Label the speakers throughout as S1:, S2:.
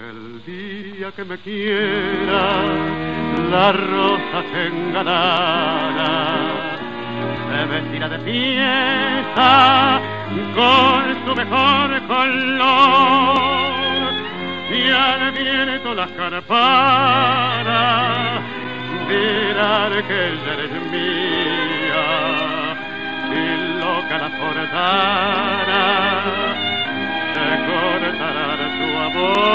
S1: El día que me quiera, la rosa se engalara, se vestirá de fiesta con su mejor color, y al viento las campanas dirán que ella eres mía, y loca la forzara se cortará de su amor.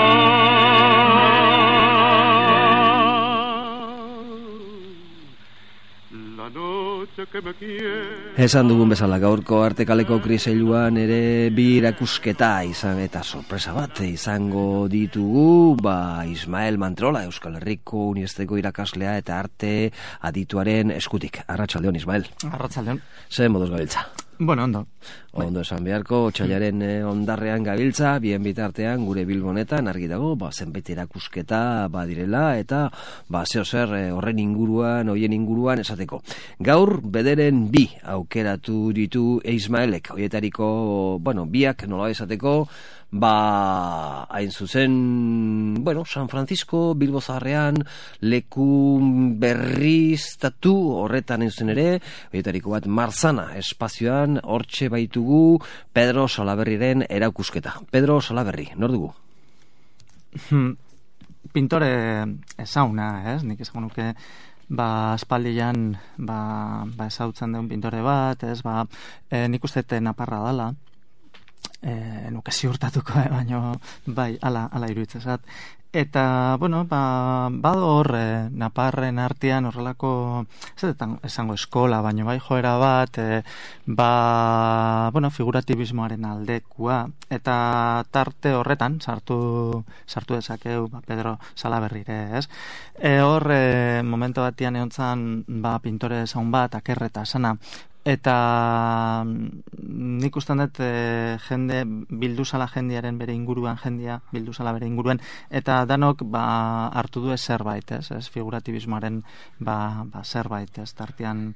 S1: La noche que me quiere.
S2: Esan dugun bezala gaurko Artekaleko kriseiluan ere bi erakusketa izan eta sorpresa bat izango ditugu, Ismael Mantrola, Euskal Herriko Unibertsitateko irakaslea eta arte adituaren eskutik. Arratsaldeon, Ismael.
S3: Arratsaldeon.
S2: Ze moduz gabiltza?
S3: Bueno, ondo.
S2: Ondo esan beharko, otsailaren ondarrean gabiltza, bien bitartean gure Bilbonetan argi dago, zenbait erakusketa badirela eta zeo zer horren inguruan, hoien inguruan esateko. Gaur bederen bi aukeratu ditu Ismaelek, hoietariko, biak nola esateko, hain zuzen, San Francisco, Bilbo Zaharrean, leku berriztatu horretan hain zuzen ere, hoietariko bat Marzana espazioan, hortxe baitugu Pedro Salaberriren erakusketa. Pedro Salaberri, nor dugu?
S3: Pintore ezauna, nik esango nuke, aspaldian ezautzen den pintore bat, nik uste naparra dala, nuke ziurtatuko, baina ala iruditzezat. Eta, bador naparren artean horrelako, esango eskola, baina joera bat, figuratibismoaren aldekua, eta tarte horretan, sartu dezakeu, Pedro Salaberrire, ez? Hor, momento batian egontzan, pintore ezaun bat, akerreta esana, eta nik ustean dut jende bilduzala jendearen bere inguruan eta danok hartu du zerbait, ez figuratibismoaren zerbait, ez tartean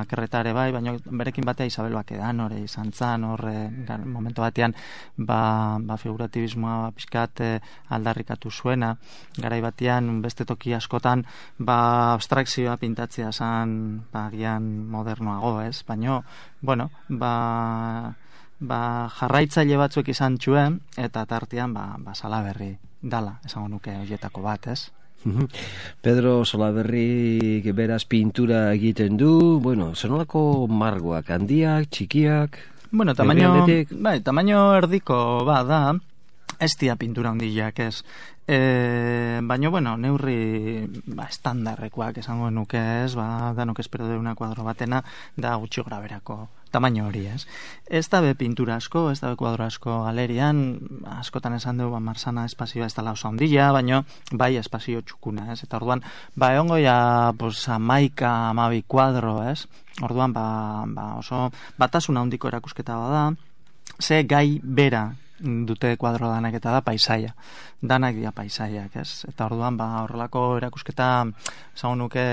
S3: kerretare baina berekin batea Isabel Bakedan hori izan zan, momento batean figuratibismoa pixkat aldarrikatu zuena, garai batean beste toki askotan abstrakzioa pintatzea zan gian modernoago, ez? Baina, jarraitzaile batzuek izan txuen, eta tartean, Salaberri dala, esango nuke horietako bat, ez?
S2: Pedro Salaberri beraz pintura egiten du, zenolako margoak, handiak, txikiak?
S3: Tamaino erdiko da, ez dia pintura handiak, ez? Baina, neurri estandarrekoak esango nuke, ez? Danok espero deuna kuadro batena, da gutxi graberako tamaino hori, ez? Ez da be pintura asko, ez da be kuadro asko galerian, askotan esan dugu Marzana espazioa ez dela oso handia, baina espazio txukuna, ez? Eta orduan, egongo ja 11-12 kuadro, ez? Orduan, oso batasuna handiko erakusketa bada, ze gai bera dute kuadro danak eta da paisaia. Danak dira paisaiak, ez? Eta orduan, horrelako erakusketa esango nuke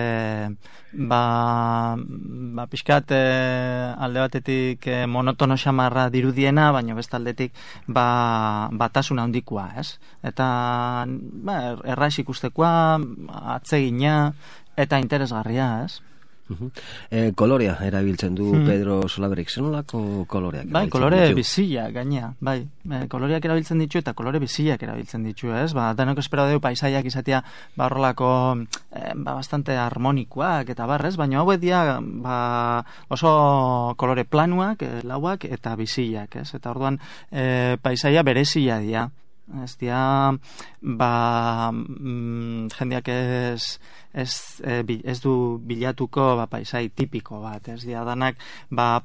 S3: pixkat alde batetik monotono xamarra dirudiena, baina bestaldetik batasuna handikoa, ez? Eta erraz ikustekoa, atsegina eta interesgarria, ez?
S2: Kolorea erabiltzen du Pedro Salaberrik, zenolako koloreak?
S3: Kolore bizia, gainea, koloreak erabiltzen ditu eta kolore biziak erabiltzen ditu, ez? Danok espero dugu paisaiak izatea horrelako bastante harmonikoak eta barrez, baina hauek dira oso kolore planuak, lauak eta biziak, ez? Eta orduan paisaia berezia dira. Ez dira, jendeak ez du bilatuko paisai tipiko bat, ez dira danak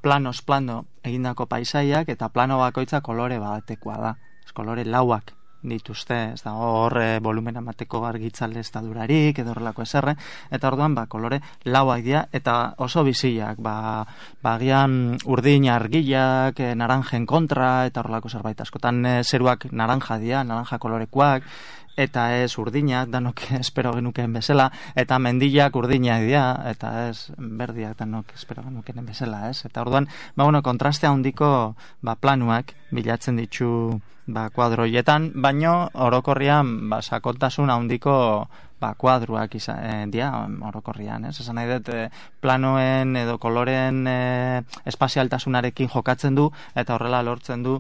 S3: planos plano egindako paisaiak eta plano bakoitza kolore batekoa da, ez kolore lauak dituzte, ez da hor volumen amateko argitzale ez da durarik edo horrelako eserre, eta orduan kolore lauak dira eta oso biziak, agian urdin argiak, naranjen kontra eta horrelako zerbait, askotan zeruak naranja dira, naranja kolorekoak, eta ez urdinak, danok espero genukeen bezala, eta mendiak urdinak dira, eta ez berdiak danok espero genukeen bezala, ez? Eta orduan, kontrastea handiko planuak bilatzen ditu kuadroietan, baino orokorrian sakontasun handiko kuadruak dira orokorrian, ez? Esan nahi dut, planoen edo koloren espazialtasunarekin jokatzen du, eta horrela lortzen du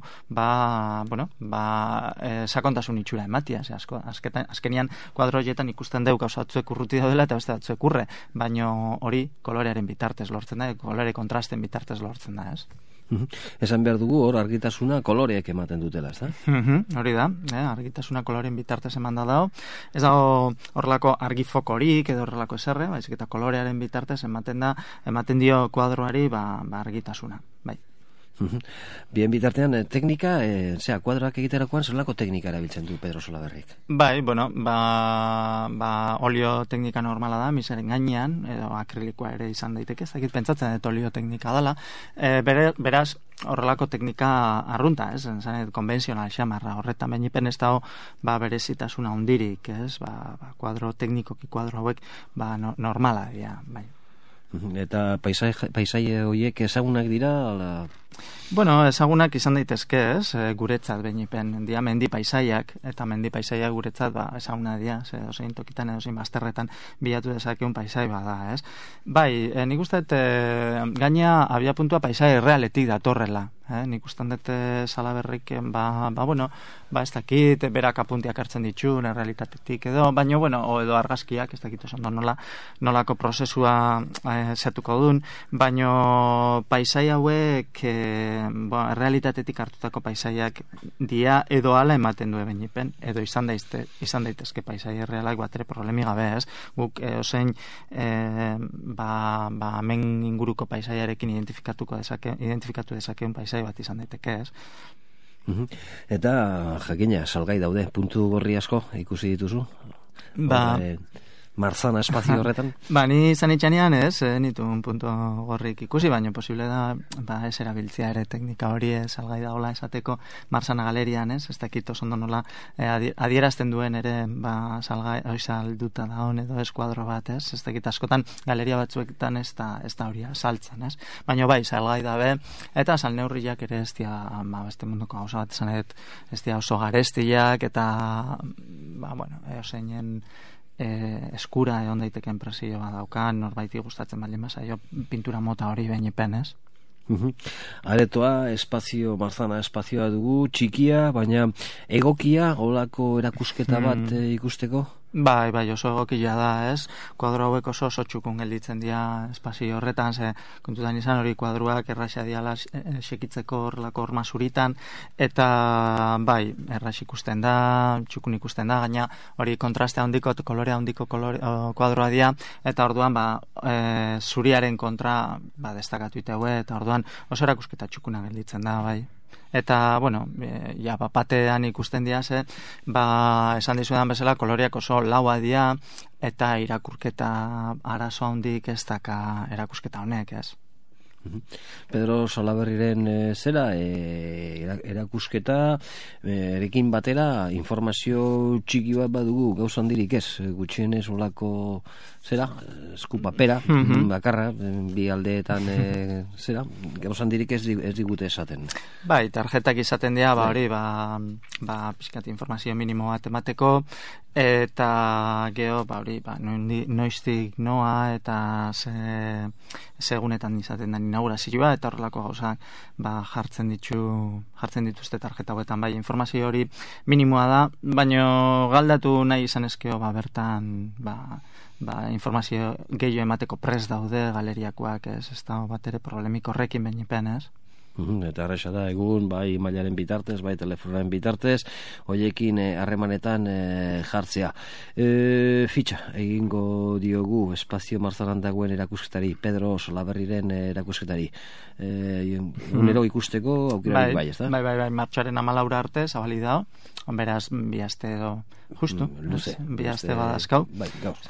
S3: sakontasun itxura ematia, azkenian kuadroietan ikusten deu gauza batzuek urruti daudela eta beste batzuek urre, baino hori kolorearen bitartez lortzen da, kolore kontrasten bitartez lortzen da, ez?
S2: Esan behar dugu hor argitasuna koloreek ematen dutela, ez da?
S3: Hori da, argitasuna koloren bitartez eman da dago. Ez dago horrelako argifokorik edo horrelako eserre, baizik eta kolorearen bitartez ematen dio kuadroari argitasuna, bai.
S2: Bien bitartean, teknika, kuadroak egiterakoan zelako teknika erabiltzen du Pedro Solaberrik?
S3: Bai, olio teknika normala da, miseren gainean, edo akrilikoa ere izan daiteke, ez dakit pentsatzen dut olio teknika dela, beraz, horrelako teknika arrunta, ez? Zanet, konbentzional xamarra, horretan behipen ez dago berezitasuna hundirik, ez? Kuadro teknikoki kuadro hauek normala dira, bai.
S2: Eta paisaie horiek ezagunak dira?
S3: Ezagunak izan daitezke, ez? Guretzat behipen dia mendi paisaiak, eta mendi paisaiak guretzat ezaguna dira, ozein tokitan edo zein bazterretan bilatu dezakeun paisai bada, ez? Bai, nik uste gaina abia puntua paisai realetik datorrela, nik uste dut Salaberrik ez dakit, berak apuntiak hartzen ditu, realitatetik edo, baina, edo argazkiak, ez dakit oso nolako prozesua zetuko duen, baina paisai hauek realitatetik hartutako paisaiak dia edo ala ematen du ebenipen, edo izan daitezke paisai realak batere problemi gabe, ez? Guk ozein hemen inguruko paisaiarekin identifikatu dezakeun paisai bat izan daiteke, ez?
S2: Eta jakina, salgai daude, puntu gorri asko ikusi dituzu? Marzana espazio horretan?
S3: Ni izan itxanean ez, nituen punto gorrik ikusi, baina posible da ez erabiltzea ere teknika hori salgai dagoela esateko Marzana galerian, ez dakit oso ondo nola adierazten duen ere salgai salduta dagoen edo eskuadro bat, ez dakit askotan galeria batzuetan ez da hori saltzen, ez? Baina bai, salgai dabe, eta salneurriak ere ez dira, beste munduko gauza bat esan ez dira oso garestiak, eta eoseinen eskura egon daiteken presioa daukan, norbaiti gustatzen baldin bazaio pintura mota hori behipen, ez?
S2: Aretoa, Marzana espazioa dugu, txikia, baina egokia, holako erakusketa bat ikusteko?
S3: Bai, oso egokia da, ez? Kuadro hauek oso txukun gelditzen dira espazio horretan, kontutan izan hori kuadroak erraxa diala sekitzeko horrelako horma zuritan, eta bai, errax ikusten da, txukun ikusten da, gaina hori kontraste handiko, kolorea handiko kuadroa dira, eta orduan zuriaren kontra destakatu iteue, eta orduan oso erakusketa txukuna gelditzen da, bai. Eta, batean ikusten dira, esan dizuetan bezala, koloreak oso laua dira, eta irakurketa arazo handik ez daka erakusketa honek, ez?
S2: Pedro Salaberriren erakusketa erekin batera informazio txiki bat badugu gauza handirik ez, gutxienez olako eskupapera bakarra, bi aldeetan gauza handirik ez digute esaten.
S3: Bai, tarjetak izaten dira, hori pixkat informazio minimo bat emateko, eta geho, noiztik noa, eta segunetan izaten da inaugurazioa, eta horrelako gauzak jartzen dituzte tarjeta hauetan, bai, informazio hori minimoa da, baino galdatu nahi izan ezkeo, bertan, informazio gehiago emateko prest daude galeriakoak, ez da bat ere problemik horrekin behipen, ez?
S2: Eta arresa da, egun, bai mailaren bitartez, bai telefonaren bitartez, hoiekin harremanetan jartzea. Fitxa, egingo diogu espazio Marzanan dagoen erakusketari, Pedro Salaberriren erakusketari. Unero ikusteko aukerarik bai, ez da?
S3: Bai, martxoaren 14 arte, zabali dao, beraz, bi aste edo, justu, bi aste badazkau,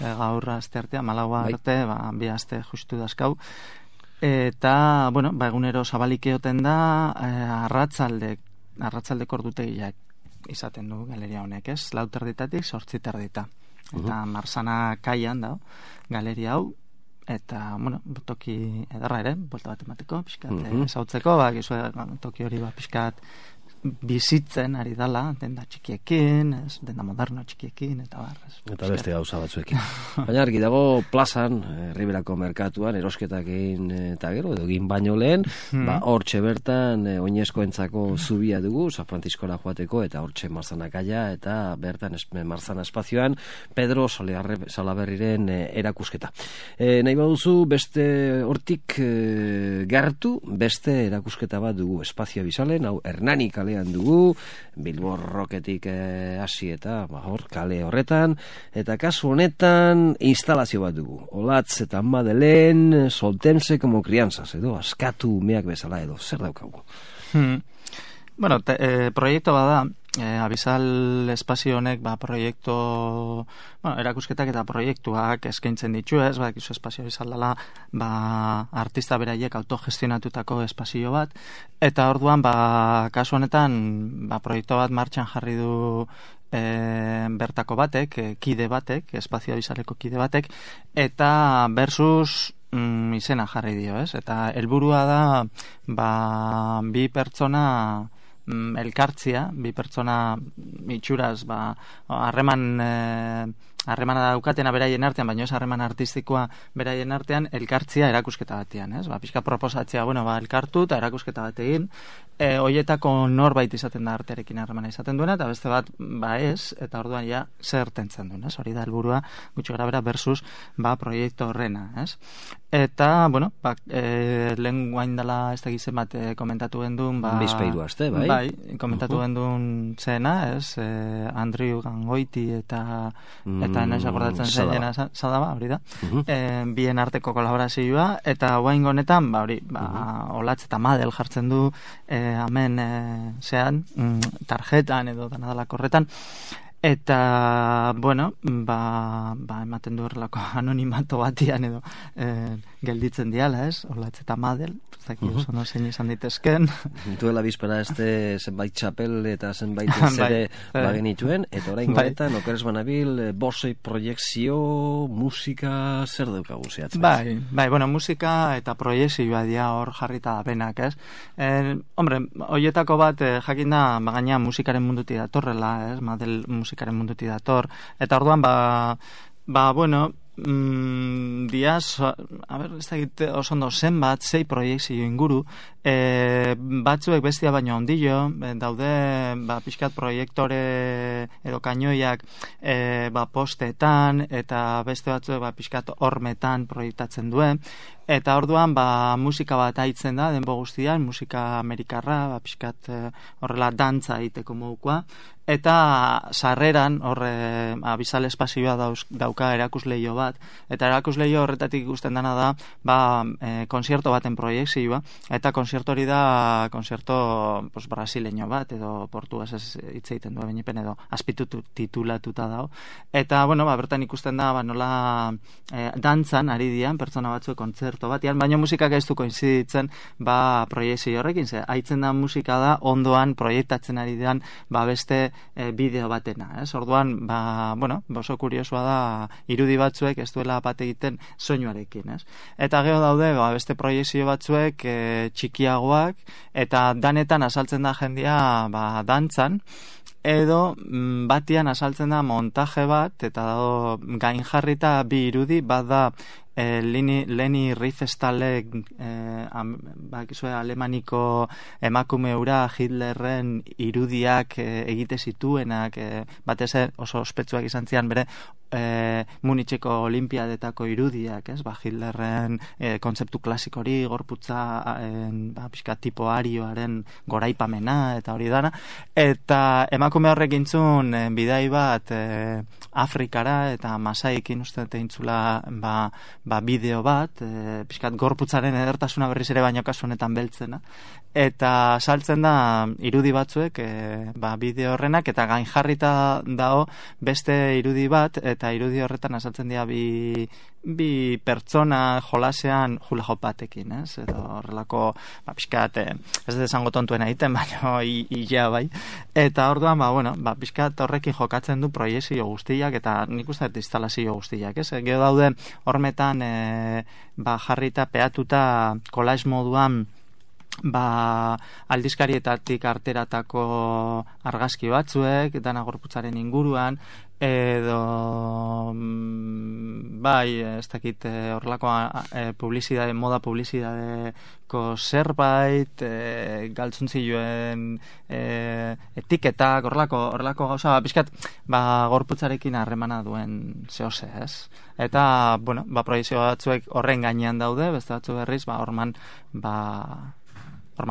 S3: gaur aste arte, 14 arte, bi aste justu dazkau, eta, egunero zabalik eoten da arratzaldeko ordutegiak izaten du galeria honek, ez? 4:00 8:00. Eta Marzana kaian da, galeria hau, eta, bueno, toki ederra ere, buelta bat emateko, pixkat, ezautzeko, toki hori pixkat bizitzen ari dala, denda txikiekin, denda moderno txikiekin, eta barrez.
S2: Eta beste gauza batzuekin. Baina argi dago plazan, Riberako merkatuan, erosketak egin eta gero, edo egin baino lehen, hortxe bertan, oinezkoentzako zubia dugu, San Franciscora joateko, eta hortxe Marzana kaia, eta bertan Marzana espazioan, Pedro Salaberriren erakusketa. Nahi baduzu, beste hortik gertu, beste erakusketa bat dugu, Espazio Bizalen, hau Hernani kalean dugu, Bilbo Rocketik hasi eta hor kale horretan, eta kasu honetan instalazio bat dugu. Olatz eta Madelen, soltense como crianzas, edo askatu umeak bezala edo, zer daukagu?
S3: Bueno, proiektu bada, Abizal espazio honek proiektu, erakusketak eta proiektuak eskaintzen ditu, ez, bakizu espazio Abizal dela, artista beraiek autogestionatutako espazio bat, eta orduan, kasu honetan, proiektu bat martxan jarri du bertako batek, kide batek, espazio Abizaleko kide batek, eta versus izena jarri dio, ez, eta helburua da, bi pertsona elkartzia, bi pertsona itxuraz harremana daukatena beraien artean, baina ez harreman artistikoa beraien artean, elkartzia erakusketa batean, ez? Pixka proposatzea, elkartu eta erakusketa bat egin, hoietako norbait izaten da artearekin harremana izaten duena, eta beste bat, ez, eta orduan ja zertentzen duen, ez? Hori da helburua gutxi grabera versus, proiektu horrena, ez? Eta, lehen guain dela ez da gizen bat komentatu gendun,
S2: bizpeiru aste, bai?
S3: Bai, komentatu gendun zena, ez? Andrew Gangoiti eta noiz akordatzen zen Sadaba, hori da. Bien arteko kolaborazioa, eta guain honetan, Olatz eta Madel jartzen du hemen tarjetan edo danadalako horretan, eta, ematen du horrelako anonimato batian edo gelditzen diala, ez? Olatz eta Madel, zaki oso no zein izan ditezken.
S2: Duela bizpera zenbait txapel eta zenbait zede bagenituen, eta orain goretan, okeres banabil, bosei proiekzio, musika, zer daukagu zehatzen?
S3: Musika eta proiekzioa dia hor jarrita da benak, ez? Hoietako bat, jakin da, gaina musikaren munduti datorrela, ez? Madel musikaren munduti dator, eta orduan, diaz, ez da egite oso ondo zenbat, 6 proiekzio inguru, batzuek bestia baino ondillo, daude pixkat proiektore edo kainoiak postetan, eta beste batzuek pixkat hormetan proiektatzen duen, eta orduan musika bat haitzen da, denbo guztian, musika amerikarra, pixkat horrela dantza egiteko modukoa, eta sarreran Abizal espazioa dauka erakusleio bat, eta erakusleio horretatik ikusten dana da konzerto baten proiekzioa, eta konzerto hori da konzerto brasileño bat, edo portuguesez hitz egiten du benipen, edo azpitutu titulatuta dago, eta bertan ikusten da nola dantzan ari dian pertsona batzuek kontzerto batean, baina musikak ez du koinziditzen proiekzio horrekin, haitzen da musika da ondoan proiektatzen ari dian beste bideo batena, ez? Orduan, oso kuriosoa da irudi batzuek ez duela bat egiten soinuarekin, ez? Eta gero daude, beste proiekzio batzuek txikiagoak, eta danetan azaltzen da jendia dantzan, edo batian azaltzen da montaje bat, eta dago gain jarrita bi irudi, bat da Leni Riefenstahlek alemaniko emakume hura Hitlerren irudiak egite zituenak, batez oso ospetsuak izan zian bere Munitzeko olimpiadetako irudiak, ez? Hitlerren kontzeptu klasikori, gorputza pixka tipo arioaren goraipamena eta hori dana, eta emakume horrek intzun bidai bat Afrikara eta Masaikin uste eintzula bideo bat, pixkat gorputzaren edertasuna berriz ere baino kasu honetan beltzena, eta saltzen da irudi batzuek bideo horrenak, eta gain jarrita dago beste irudi bat, eta irudi horretan azaltzen dira bi pertsona jolasean hula hop batekin, ez? Edo horrelako, pixkat, ez dut esango tontuen egiten, baina ia bai. Eta orduan, pixkat horrekin jokatzen du proiezio guztiak, eta nik uste dut instalazio guztiak, ez? Gero daude hormetan jarrita, peatuta, kolaiz moduan, aldizkarietatik arteratako argazki batzuek, dana gorputzaren inguruan, edo ez dakit horrelako moda publizidadeko zerbait, galtzuntzioen etiketak, horrelako gauza, pixkat, gorputzarekin harremana duen zehose, ez? Eta, proiezio batzuek horren gainean daude, beste batzu berriz, horman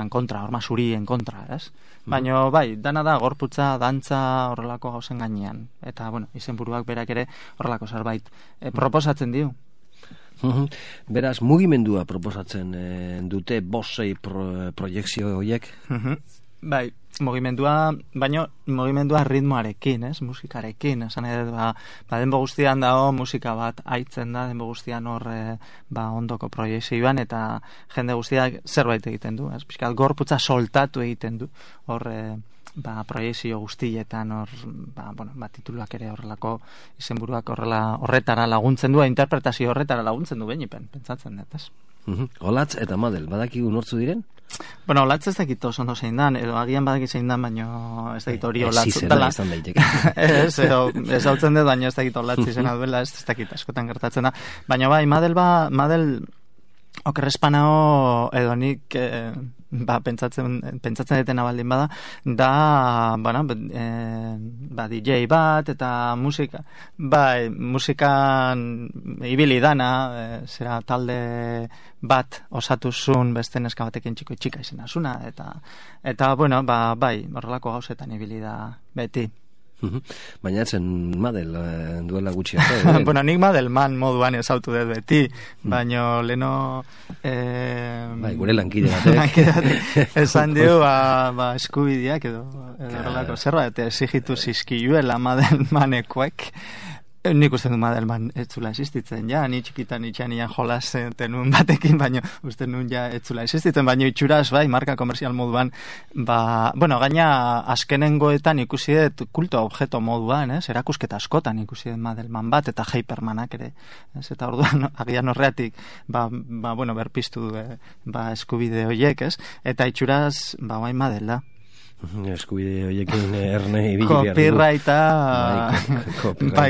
S3: kontra, horma zurien kontra, ez? Baina, dana da, gorputza, dantza, horrelako gauzen gainean. Eta, izenburuak berak ere horrelako zerbait proposatzen dio.
S2: Beraz, mugimendua proposatzen dute bosei proiekzio horiek?
S3: Bai, mugimendua ritmoarekin, ez? Musikarekin, esan edo, denbo guztian dago musika bat aitzen da, denbo guztian hor ondoko proiezioan, eta jende guztiak zerbait egiten du, ez? Piskat gorputza soltatu egiten du, hor proiezio guztietan, hor, tituluak ere horrelako izenburuak horretara laguntzen du, interpretazio horretara laguntzen du, benipen, pentsatzen dut, ez?
S2: Olatz eta Madel, badakigu nortzu diren?
S3: Olatz ez dakit oso ondo zein dan, edo agian badakit zein dan, baina ez dakit hori Olatz.
S2: Zizena izan daiteke.
S3: Ez hau tzen dut, baina ez dakit Olatz izena duela, ez dakit askotan gertatzen da. Baina Madel okerrespanao edo nik pentsatzen detena baldin bada, DJ bat eta musika, musikan ibili dana, zera talde bat osatuzun beste neska batekin txika izena zuna, eta horrelako gauzetan ibili da beti.
S2: Baina etzen Madel duela gutxi arte.
S3: Nik Madelman moduan ezautu dut beti, baina leno
S2: gure lankide batek
S3: esan dio eskubideak edo horrelako zerbait exigitu zizkiuela Madelmanekoek. Nik uste du Madelman ez zula existitzen, ni txikitan itxanian jolasen tenun batekin, baina uste nun ez zula existitzen, baina itxuraz, marka komerzial moduan, gaina azkenengoetan ikusi dut kulto objeto moduan, erakusketa askotan ikusi dut Madelman bat, eta Hypermanak ere, eta orduan, agian horreatik, berpiztu eskubide horiek, eta itxuraz, Madel da.
S2: Eskubide horiekin erne ibili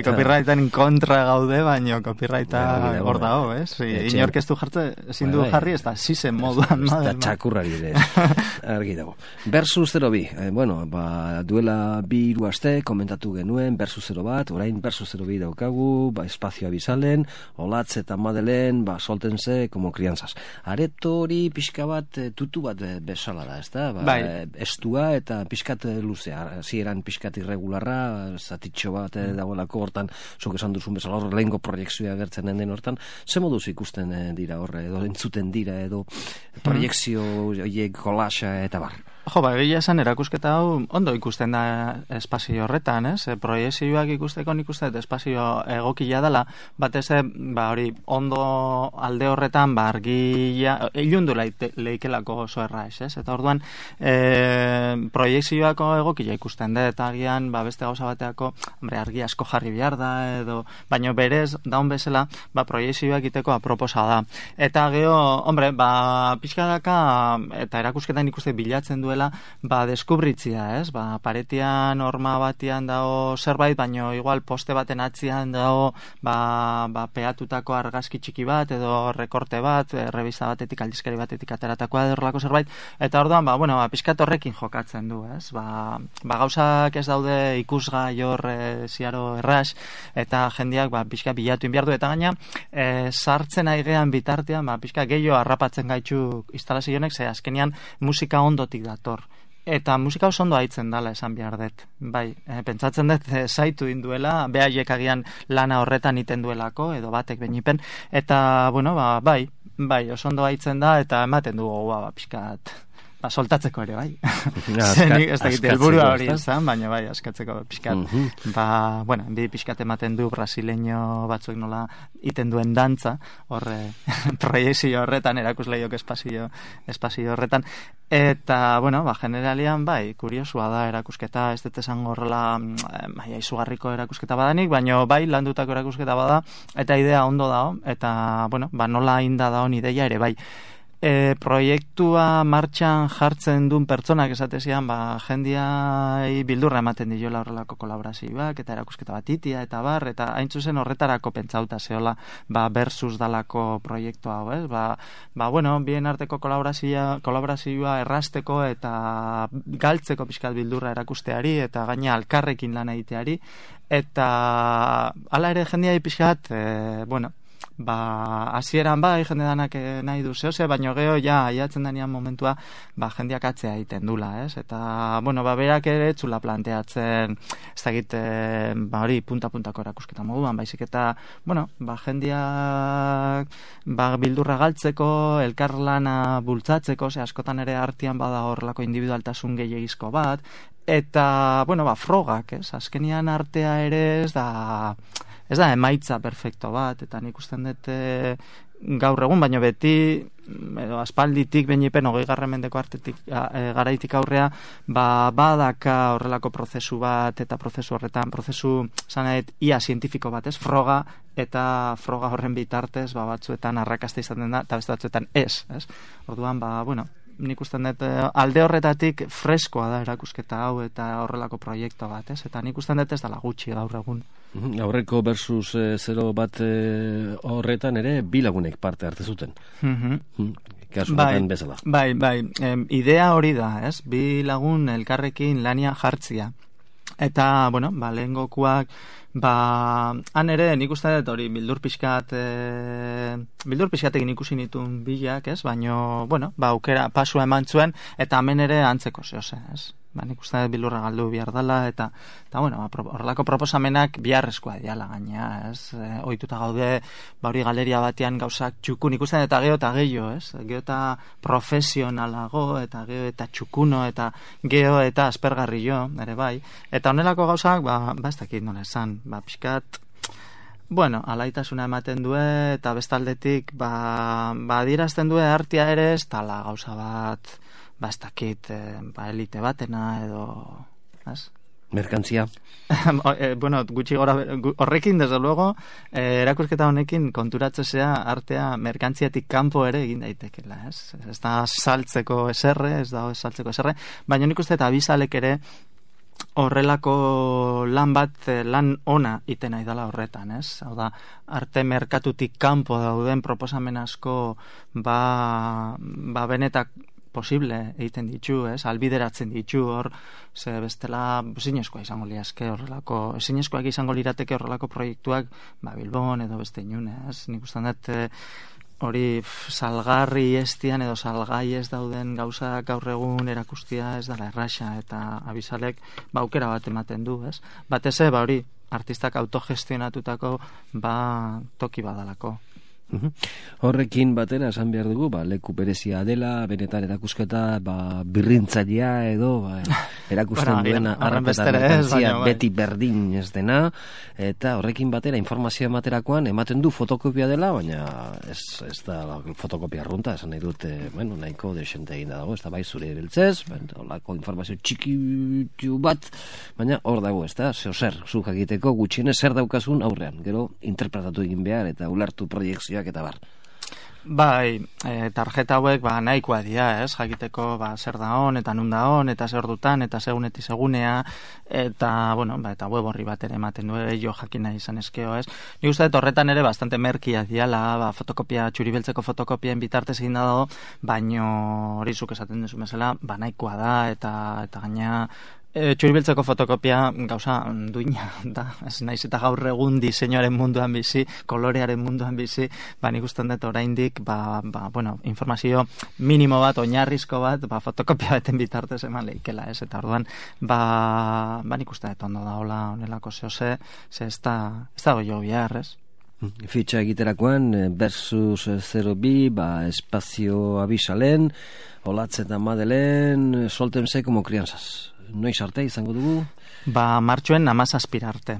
S3: copyrightan kontra gaude, baina copyrighta hor dago, inork ez du ezin du jarri, ez da zizen moduan
S2: txakurrari ere argi dago. Versus 02, duela 2 aste komentatu genuen Versus 01, orain Versus 02 daukagu, espazioa bizalen, Olatz eta Madelen soltense como crianzas. Areto hori pixka bat tutu bat bezala da, ez da? Estua eta pixkat luzea, zieran pixkat irregularra, zatitxo bat dagoelako hortan, zuk esan duzun bezala hor lehenko proiekzioa gertzen den hortan, ze moduz ikusten dira horre, edo entzuten dira, edo proiekzio horiek kolasa eta bar?
S3: Egia esan erakusketa hau ondo ikusten da espazio horretan, proiezioak ikusteko nik uste espazio egokia dela, batez hori ondo alde horretan argia, ilundu leikelako oso erraiz, eta orduan proiezioako egokia ikusten da, eta agian beste gauza bateako argi asko jarri behar da, baina berez daun bezala proiezioak iteko aproposa da. Eta geho, pixkadaka eta erakusketan ikuste bilatzen du deskubritzia, paretian horma batian dago zerbait, baino igual poste baten atzian dago peatutako argazki txiki bat edo rekorte bat, revista batetik, aldizkari batetik ateratakoa horrelako zerbait, eta orduan, pixkat horrekin jokatzen du, gauzak ez daude ikusgai hor ziaro erraz, eta jendeak pixka bilatu inbiardu, eta gaina sartzen aigean bitartean, pixka gehiago harrapatzen gaitxu instalazionek, ze azkenian musika ondotik dator. Eta musika oso ondo haitzen dala esan behar dut. Bai, pentsatzen dut zaitu induela, behaiek agian lana horretan iten duelako, edo batek benipen, eta, bueno, bai, oso ondo haitzen da, eta ematen du gogoa, pixkat, soltatzeko ere, bai. Zenik, ez dakit, helburua hori izan, baina bai, askatzeko pixkat. Bueno, bi pixkat ematen du brasileño batzuek nola iten duen dantza, horre, proiezio horretan, erakusleiok espazio horretan, eta, bueno, generalian, bai, kuriosua da erakusketa, ez dut esango horrela, izugarriko erakusketa badanik, baina bai, landutako erakusketa bada, eta idea ondo dao, eta, bueno, nola inda daon ideia ere, bai. Proiektua martxan jartzen duen pertsonak esatezian, jendiai bildurra ematen diola horrelako kolaborazioak, eta erakusketa bat itia, eta bar, eta hain zuzen horretarako pentsauta zehola, versus dalako proiektu hau, ez? Bueno, bien arteko kolaborazioa errasteko eta galtzeko pixkat bildurra erakusteari, eta gaina alkarrekin lan egiteari, eta hala ere jendiai pixkat, bueno, hasieran jende danak nahi du zehose, baino geho aiatzen denean momentua jendeak atzea egiten dula, ez? Eta, bueno, berak ere txula planteatzen, ez dakit, hori punta-puntako erakusketa moduan, baizik eta, bueno, jendeak bildurra galtzeko, elkarlana bultzatzeko, askotan ere artean bada horrelako individualtasun gehiagizko bat, eta, bueno, frogak, ez? Azkenian artea ere ez da emaitza perfecto bat, eta nik usten dut gaur egun, baino beti, edo aspalditik, benipen 20. mendeko garaitik aurrea, badaka horrelako prozesu bat, eta prozesu horretan, zanaet, ia zientifiko bat, ez? Froga, eta froga horren bitartez, batzuetan arrakasta izaten da, eta beste batzuetan ez? Orduan, bueno, nik usten dut alde horretatik freskoa da erakusketa hau eta horrelako proiektu bat, ez? Eta nik usten dut ez dela gutxi gaur egun.
S2: Aurreko versus 0 bat horretan ere bi lagunek parte hartu zuten. Kasu baten bezala.
S3: Bai, idea hori da, ez? Bi lagun elkarrekin lania jartzia. Eta, bueno, lehengokuak, han ere, nik uste dut hori, bildur pixkatekin ikusi nituen bilak, ez? Baina, bueno, aukera pasua eman zuen, eta hemen ere antzeko zehose, ez? Nik uste dut bildurra galdu behar dela, eta bueno, horrelako proposamenak biharrezkoa diala gaina, ez? Ohituta gaude, hori galeria batean gauzak txukun, ikusten eta geho eta gehiago, ez? Geho eta profesionalago, eta geho eta txukuno, eta geho eta aspergarrio, ere bai. Eta honelako gauzak, ez dakit nola esan, pixkat, bueno, alaitasuna ematen du, eta bestaldetik, adierazten du artea ere, ez tala gauza bat, ez dakit, elite batena, edo, ez?
S2: Merkantzia.
S3: Bueno, gutxi gora, horrekin, desde luego, erakusketa honekin konturatzea artea merkantziatik kanpo ere egin daitekela, ez? Ez da saltzeko eserre, baina nik uste eta bizalek ere horrelako lan bat, lan ona iten nahi dela horretan, ez? Hau da, arte merkatutik kanpo dauden proposamen asko, benetak posible egiten ditu, ez? Albideratzen ditu hor, ze bestela zinezkoa izango liazke horrelako, zinezkoak izango lirateke horrelako proiektuak, Bilbon edo beste inun, ez? Nik ustean dut hori salgarri estian edo salgai ez dauden gauza gaur egun erakustia ez dela erraxa, eta abisalek aukera bat ematen du, ez? Batez hori, artistak autogestionatutako toki badalako.
S2: Horrekin batera esan behar dugu, leku berezia dela, benetan erakusketa birrintzailea edo erakusten duena arraketa merkantzia beti berdin ez dena, eta horrekin batera informazioa ematerakoan ematen du fotokopia dela, baina ez da fotokopia arrunta, esan nahi dut, nahiko desente egin dago, ez da zure biltzez, holako informazio txiki bat, baina hor dago, ez da, zer, zu jakiteko gutxienez zer daukazun aurrean, gero interpretatu egin behar eta ulertu proiektzioak eta bar.
S3: Tarjeta hauek nahikoa dira, ez? Jakiteko zer da hon, eta nun da hon, eta zer dutan, eta segunetik segunea, eta, bueno, eta web horri bat ere ematen du, jo jakina izan eskeo, ez? Nik uste dut horretan ere bastante merkia diala, fotokopia, txuribeltzeko fotokopien bitartez egin dago, baino hori zuk esaten duzu mesela, nahikoa da, eta gaina Txuribiltzeko fotokopia gauza duina da, ez naiz eta gaur egun diseinuaren munduan bizi, kolorearen munduan bizi, nik usten dut oraindik, bueno, informazio minimo bat, oinarrizko bat, fotokopia beten bitartez eman leikela, ez? Eta orduan, nik usten dut ondo da, hola, honelako ze ez da goio bihar, ez?
S2: Fitxa egiterakoan, versus 02, espazio abisalen, Olatz eta Madelen, soltense como crianzas. Noiz arte izango dugu?
S3: Martxoen 17 arte.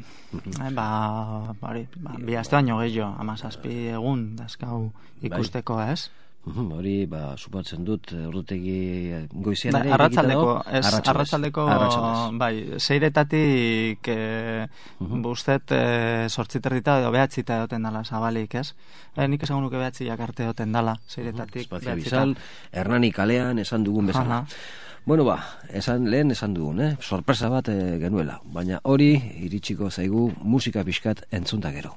S3: Bi aste baino gehiago, 17 egun dazkau ikusteko, ez?
S2: Hori, supatzen dut, ordutegi goizian ere.
S3: Arratsaldeko, seiretatik bustet 8:30 edo 9 edoten dala zabalik, ez? Nik esango nuke 9 arte edoten dala, seiretatik.
S2: Espazio Bizal, Hernani kalean esan dugun bezala. Bueno, lehen esan dugun, sorpresa bat genuela, baina hori iritsiko zaigu musika pixkat entzunta gero.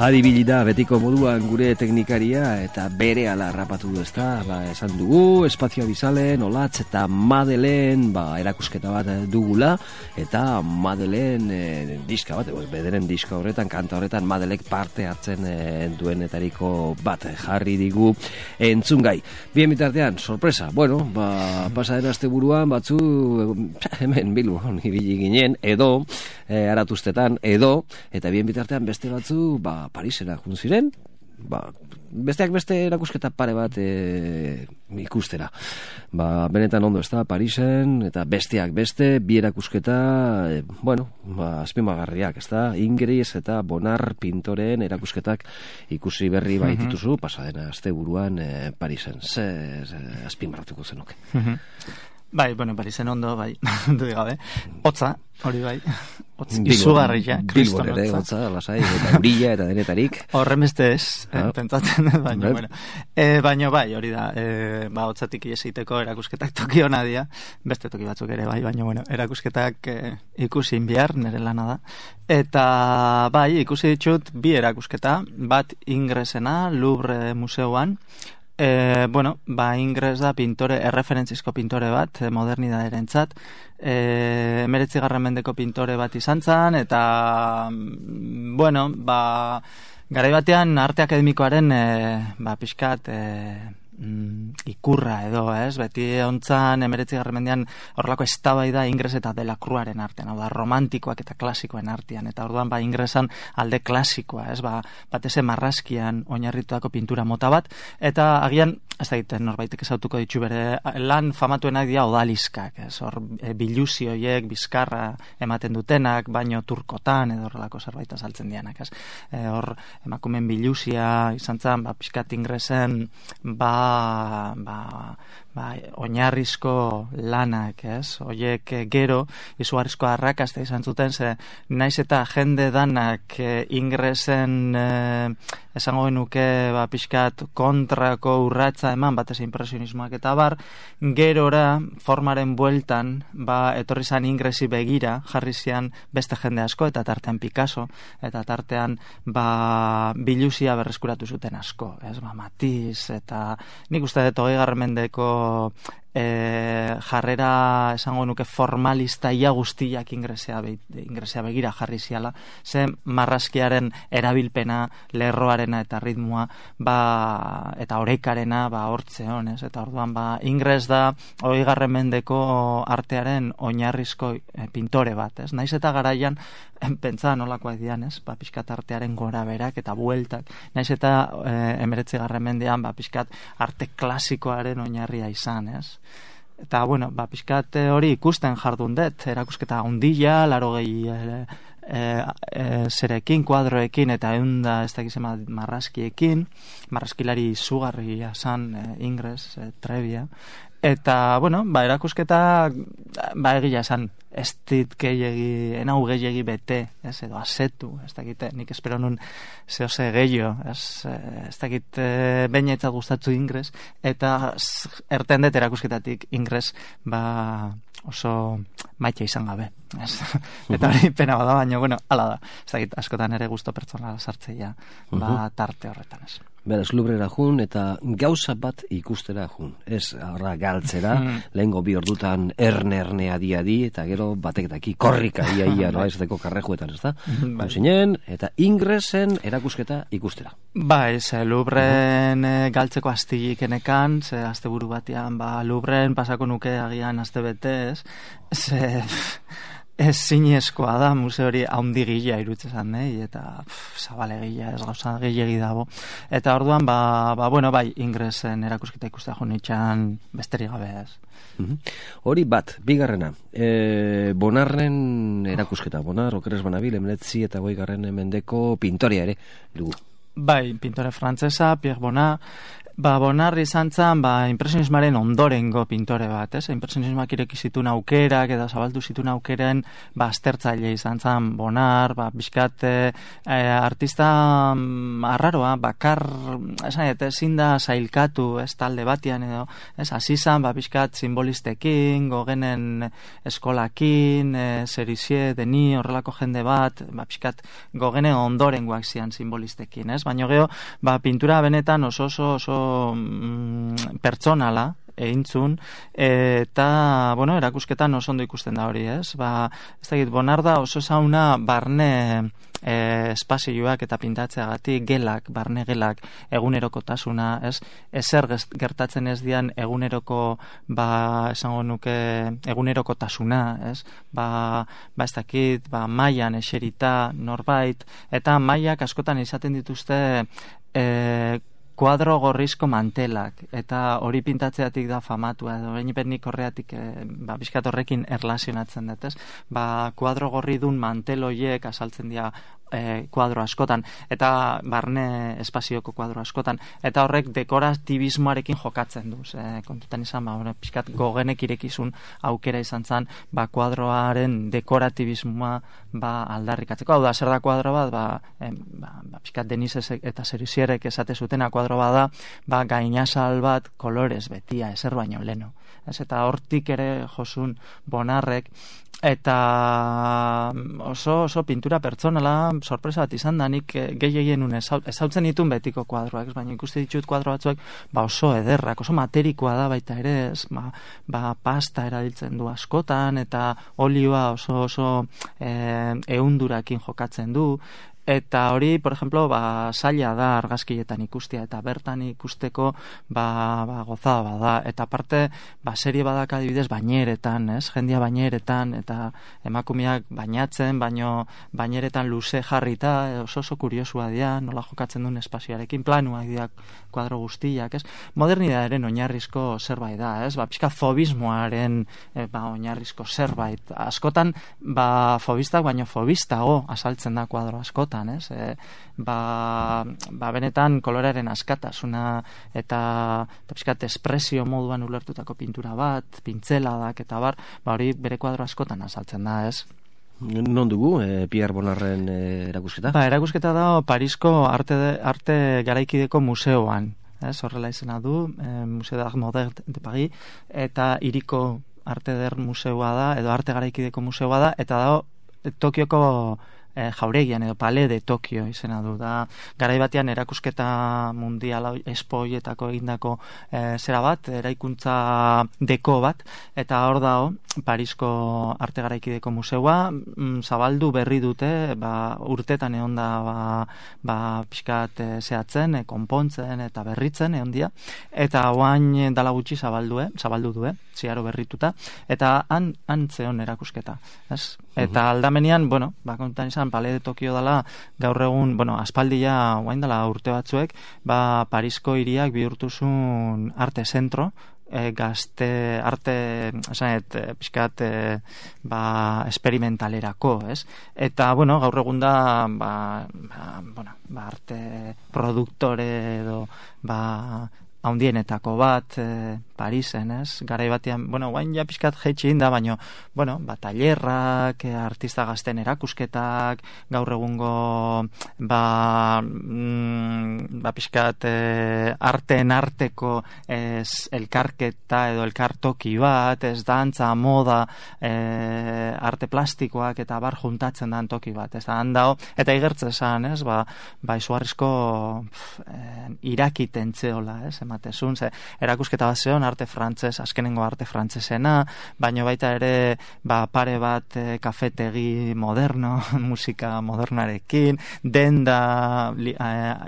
S2: Adibilida betiko moduan gure teknikaria eta bere ala rapatu du, ezta? Esan dugu, Espazio Bizalen, Olatz eta Madelen erakusketa bat dugula, eta Madelen diska bat, bederen diska horretan, kanta horretan Madelek parte hartzen duenetariko bat jarri digu entzungai. Bien bitartean, sorpresa, bueno, pasaden asteburuan batzu hemen Bilbon ibili ginen, edo aratuztetan, edo, eta bien bitartean beste batzu, Parisera jun ziren, besteak beste erakusketa pare bat ikustera. Benetan ondo ez da, Parisen, eta besteak beste, bi erakusketa, azpimagarriak, ez da, Ingres eta Bonar pintoreen erakusketak ikusi berri baitituzu, pasadena asteburuan Parisen. Ze azpimarratuko zenuke?
S3: Parisen ondo, du gabe. Hotza, hori Hotz izugarria, kriston
S2: ere, hotza, lasai, eta urilla, eta denetarik.
S3: Horren beste ez, pentsatzen, baina hori da, hotzatik iesiteko erakusketak toki hona dia, beste toki batzuk ere, baina erakusketak ikusi behar, nire lana da. Eta ikusi ditut bi erakusketa, bat Ingresena, Louvre Museoan, Ingres da erreferentzizko pintore bat, modernidaderentzat, 19. mendeko pintore bat izan zan, eta, garai batean arte akademikoaren, pixkat, ikurra edo, ez? Beti ontzan 19. mendean horrelako eztabaida Ingres eta Delacroixaren artean, romantikoak eta klasikoen artean, eta orduan Ingresan alde klasikoa, ez? Bateze marrazkian oinarritutako pintura mota bat, eta agian, ez da egiten norbaitek ezautuko ditu bere lan famatuenak dira odaliskak, ez? Hor biluzioiek, bizkarra ematen dutenak, baino turkotan edo horrelako zerbait azaltzen dianak, ez? Hor emakumen biluzia izan zen, pixkat Ingresen, oinarrizko lanak, ez? Oiek gero izugarrizko arrakasta izan zuten, ze naiz eta jende danak Ingresen esango genuke pixkat kontrako urratza eman, batez impresionismoak eta gerora formaren bueltan etorri zan Ingresi begira, jarri zian beste jende asko, eta tartean Picasso, eta tartean biluzia berreskuratu zuten asko, ez? Matiz, eta nik uste dut 20. mendeko jarrera esango nuke formalista ia guztiak ingresea begira jarri ziala, ze marrazkiaren erabilpena, lerroarena eta ritmoa, eta orekarena hortze honez, eta orduan ingres da 20. mendeko artearen oinarrizko pintore bat, ez? Naiz eta garaian pentsa nolakoak dian, ez? Pixkat artearen gora berak eta bueltak, naiz eta 19. mendean pixkat arte klasikoaren oinarria izan, ez? Eta, bueno, pixkat hori ikusten jardun dut, erakusketa ondila, 80 zerekin, kuadroekin, eta eunda ez dakizema marrazkiekin, marrazkilari izugarria zan Ingres, Trebia, eta, bueno, erakusketa, egia esan, ez dit enau gehiagi bete, edo asetu, ez dakite, nik espero nun zehose gehiago, ez dakit bainetzat gustatu Ingres, eta erten dut erakusketatik Ingres, oso maite izan gabe. Eta hori pena bada, baina, bueno, ala da. Ez dakit, askotan ere gusto pertsonala sartzeia, tarte horretan, ez.
S2: Beraz, Louvrera jun eta gauza bat ikustera jun. Ez, horra galtzera, lehengo 2 ordutan erne adi, eta gero bateketaki korrika ia, no, ez deko karrejuetan, ez da? Zinen, eta Ingresen erakusketa ikustera.
S3: Louvren galtzeko astilik enekan, ze azte buru batean, Louvren pasako nuke agian azte betez, ez zinezkoa da, museo hori haundi gila irutzezan, eta zabale gila, ez gauza gehiagi dago. Eta orduan, Ingresen erakusketa ikustea jonitxan besterik gabe ez.
S2: Hori bat, bigarrena, Bonarren erakusketa, Bonar, okeres Banabil, 19 eta 20. mendeko pintoria ere, dugu.
S3: Pintore frantzesa, Pierre Bonnard. Bonnard izan zen, impresionismaren ondorengo pintore bat, ez? Impresionismak ireki zituen aukerak, eta zabaldu zituen aukeren, aztertzaile izan zen Bonnard, bizkat artista arraroa, bakar, ezin da zailkatu, ez talde batian edo, ez? Azizan, bizkat simbolistekin, Gogenen eskolakin, Serizier, Deni, horrelako jende bat, bizkat Gogenen ondorengoak zian simbolistekin, ez? Baina geho, pintura benetan oso pertsonala eintzun, eta, erakusketan oso ondo ikusten da hori, ez? Ez dakit, Bonnard da oso zauna barne espazioak eta pintatzeagatik gelak, barne gelak, egunerokotasuna, ez? Ezer gertatzen ez dian eguneroko, esango nuke, egunerokotasuna, ez? Ez dakit, mailan eserita, norbait, eta mailak askotan izaten dituzte kuadro gorrizko mantelak, eta hori pintatzeatik da famatua, edo nik horreatik bizkat horrekin erlazionatzen dut, ez? Kuadro gorri dun mantel horiek asaltzen dira kuadro askotan, eta barne espazioko kuadro askotan, eta horrek dekoratibismoarekin jokatzen du, kontutan izan, bizkat Gogenek irekizun aukera izan zen, kuadroaren dekoratibismoa aldarrikatzeko. Hau da, zer da kuadro bat, bizkat Denis eta Serizierek esate zutena kuadro bat da, gainazal bat kolorez betia, ezer baino leno. Eta hortik ere josun Bonnardrek, eta oso pintura pertsonala sorpresa bat izan da, nik gehien ezautzen ditun betiko kuadroak, baina ikuste ditut kuadro batzuek oso ederrak, oso materikoa da baita ere, pasta erabiltzen du askotan, eta olioa oso ehundurakin jokatzen du, eta hori, por ejemplo, zaila da argazkietan ikustea, eta bertan ikusteko gozada bada, eta aparte, serie badak adibidez baineretan, ez? Jendia baineretan, eta emakumeak bainatzen, baino baineretan luze jarrita, oso kuriosua dira, nola jokatzen duen espazioarekin, planuak dira kuadro guztiak, ez? Modernitatearen oinarrizko zerbait da, ez? Pixka fobismoaren oinarrizko zerbait. Askotan, fobistak baino fobistago asaltzen da kuadro askotan, ez? Benetan koloraren askatasuna eta pixkat espresio moduan ulertutako pintura bat, pintzeladak eta hori bere kuadro askotan azaltzen da, ez?
S2: Non dugu, Pierre Bonnardren erakusketa?
S3: Erakusketa da Parisko arte garaikideko museoan, ez? Horrela izena du, Museo d'Art Moderne de Paris, eta hiriko arte eder museoa da, edo arte garaikideko museoa da, eta da Tokioko jauregian edo Palais de Tokio izena du da. Garai batean erakusketa mundiala espoietako egindako zera bat, eraikuntza deko bat, eta hor dago Parisko Arte Garaikideko Museua zabaldu berri dute, urtetan egon da pixkat zehatzen, konpontzen eta berritzen egon dia, eta oain dala gutxi zabaldu du, ziaro berrituta, eta han zeon erakusketa, ez? Eta aldamenean, kontan izan, Palais de Tokio dala, gaur egun, aspaldia, oain dala urte batzuek, Parisko hiriak bihurtuzun arte zentro, gazte arte pixkat esperimentalerako, ez? Eta, gaur egun da arte produktore edo haundienetako bat Parisen, ez? Garai batean, guain ja pixkat jeitxe inda, baina, tailerrak, artista gazten erakusketak, gaur egungo pixkat arteen arteko elkarketa edo elkartoki bat, ez dantza, moda, arte plastikoak eta bar juntatzen dan toki bat, ez da handao, eta igertze esan, ez? Izugarrizko irakiten zeola, ez? Ematezun, erakusketa bat zeon, arte frantzes, azkenengo arte frantzesena, baina baita ere pare bat kafetegi moderno, musika modernarekin, denda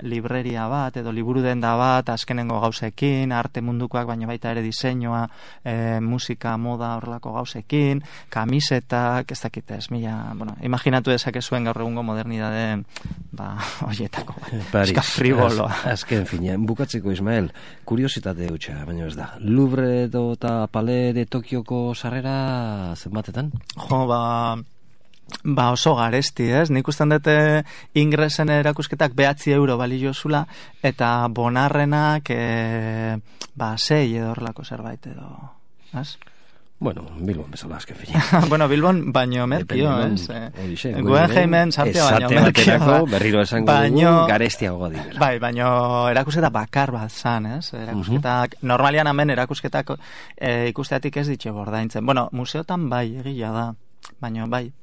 S3: libreria bat, edo liburu denda bat, azkenengo gauzekin, arte mundukoak, baina baita ere diseinua, musika, moda, horrelako gauzekin, kamisetak, ez dakit ez, imaginatu dezakezuen gaur egungo modernidade horietako, eska friboloa.
S2: Azken finean, bukatzeko Ismael, kuriositate hutsa, baina ez da. Louvre eta Palais de Tokioko sarrera zenbatetan?
S3: Oso garesti, ez? Nik usten dute ingresen erakusketak €9 balio zula, eta bonarrenak 6 edo horrelako zerbait edo, ez?
S2: Bilbon bezala azken fina.
S3: Bilbon baino merkio, ez? Guggenheimen sartea baino merkio.
S2: Berriro esango dugu, garestiagoa direla.
S3: Bai, baino erakusketa bakar bat zan, ez? Erakusketak, normalian hemen erakusketak ikusteatik ez ditxe bordaintzen. Museotan bai, egila da. Baino, bai,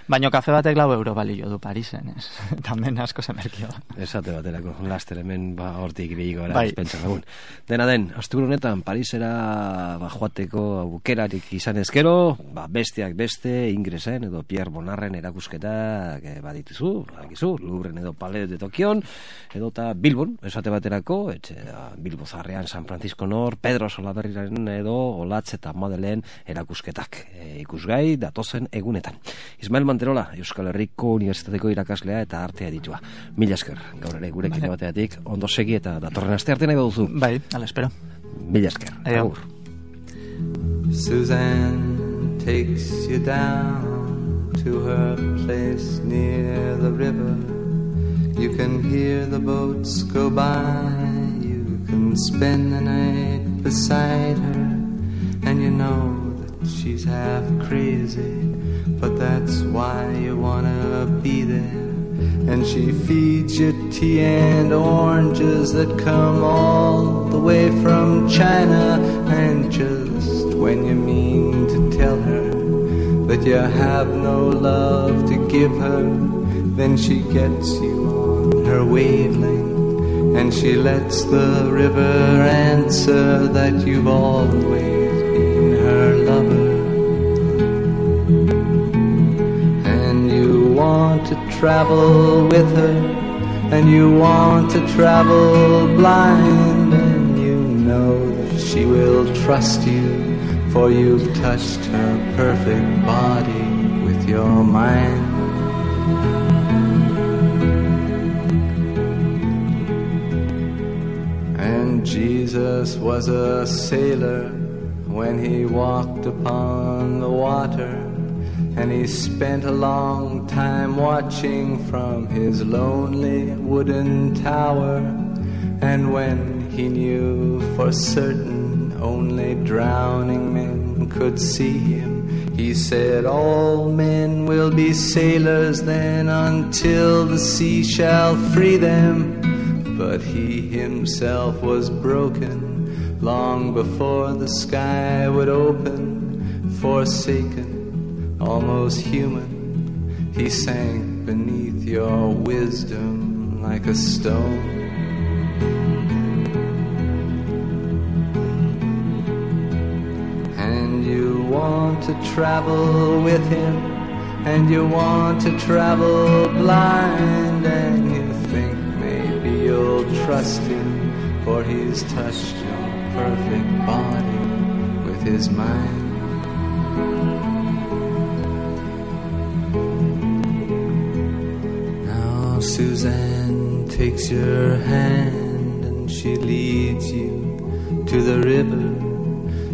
S3: Baina kafe batek €9 balio du Parisen, ez? Tamen asko zemerkio.
S2: Esate baterako, laster hemen hortik ibiliko gara, espentsa lagun. Dena den, asteburu honetan Parisera joateko aukerarik izan ezkero, besteak beste, ingresen edo Pierre Bonnarren erakusketak badituzu, Louvren edo Palais de Tokion, edo eta Bilbon, esate baterako, Bilbo Zarrean, San Francisco Nor, Pedro Solaberriren edo Olatz eta Madelen erakusketak ikusgai datozen egunetan. Ismael Manterola, Euskal Herriko Unibertsitateko irakaslea eta artea ditua. Mila esker, gaur ere gurekin bateatik, ondo segi eta datorren aste arte nahi baduzu.
S3: Bai, ala espero.
S2: Mila esker. Agur.
S4: Suzanne takes you down to her place near the river. You can hear the boats go by. You can spend the night beside her. And you know that she's half crazy, but that's why you wanna be there. And she feeds you tea and oranges that come all the way from China. And just when you mean to tell her that you have no love to give her, then she gets you on her wavelength, and she lets the river answer that you've always been her lover. Want to travel with her, and you want to travel blind, and you know that she will trust you, for you've touched her perfect body with your mind. And Jesus was a sailor when he walked upon the water, and he spent a long time watching from his lonely wooden tower. And when he knew for certain only drowning men could see him, he said, all men will be sailors then until the sea shall free them. But he himself was broken long before the sky would open, forsaken, almost human. He sank beneath your wisdom like a stone. And you want to travel with him, and you want to travel blind, and you think maybe you'll trust him, for he's touched your perfect body with his mind. Now Suzanne takes your hand and she leads you to the river.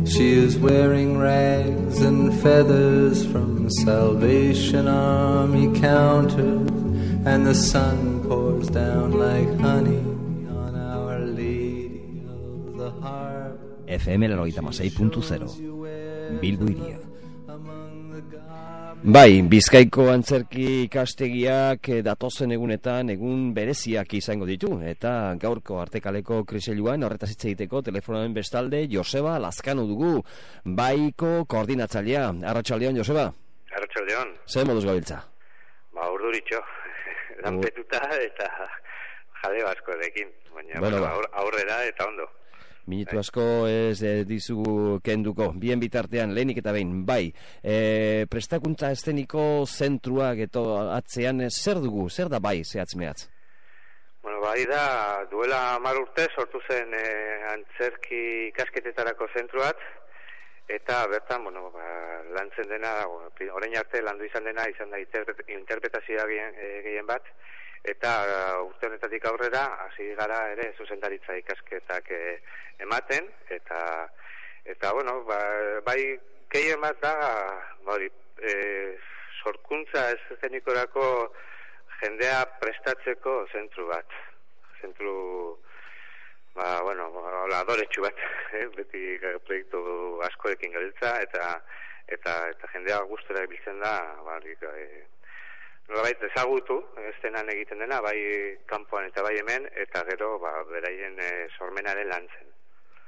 S4: She is wearing rags and feathers from Salvation Army counters, and the sun pours down like honey on Our Lady of the Harbor.
S2: FM 96.0 Bilbo iria. Bai, Bizkaiko antzerki ikastegiak datozen egunetan egun bereziak izango ditu, eta gaurko Artekaleko kriseiluan horretaz hitz egiteko telefonoen bestalde Joseba Lazkano dugu, baiko koordinatzailea. Arratsaldeon, Joseba.
S5: Arratsaldeon.
S2: Zer moduz gabiltza?
S5: Ba, urduritxo. Lanpetuta eta jale askorekin, baina bueno, aurrera eta ondo.
S2: Minutu asko ez dizugu kenduko. Bien bitartean, lehenik eta behin, bai, prestakuntza eszeniko zentruak eto atzean zer dugu, zer da bai, zehatz mehatz?
S5: Bueno, bai da, duela 10 urte sortu zen antzerki ikasketetarako zentruat, eta bertan, bueno, lantzen dena, orain arte landu izan dena, izan da interpretazioa gehien bat, eta urte honetatik aurrera hasi gara ere zuzendaritza ikasketak ematen, eta bueno, bai gehien bat da sorkuntza eszenikorako jendea prestatzeko zentru bat. Zentru bueno, adoretsu bat, beti proiektu askoekin gabiltza, eta jendea gustora biltzen da, nolabait ezagutu, estenan egiten dena, bai kanpoan eta bai hemen, eta gero beraien sormenaren lantzen.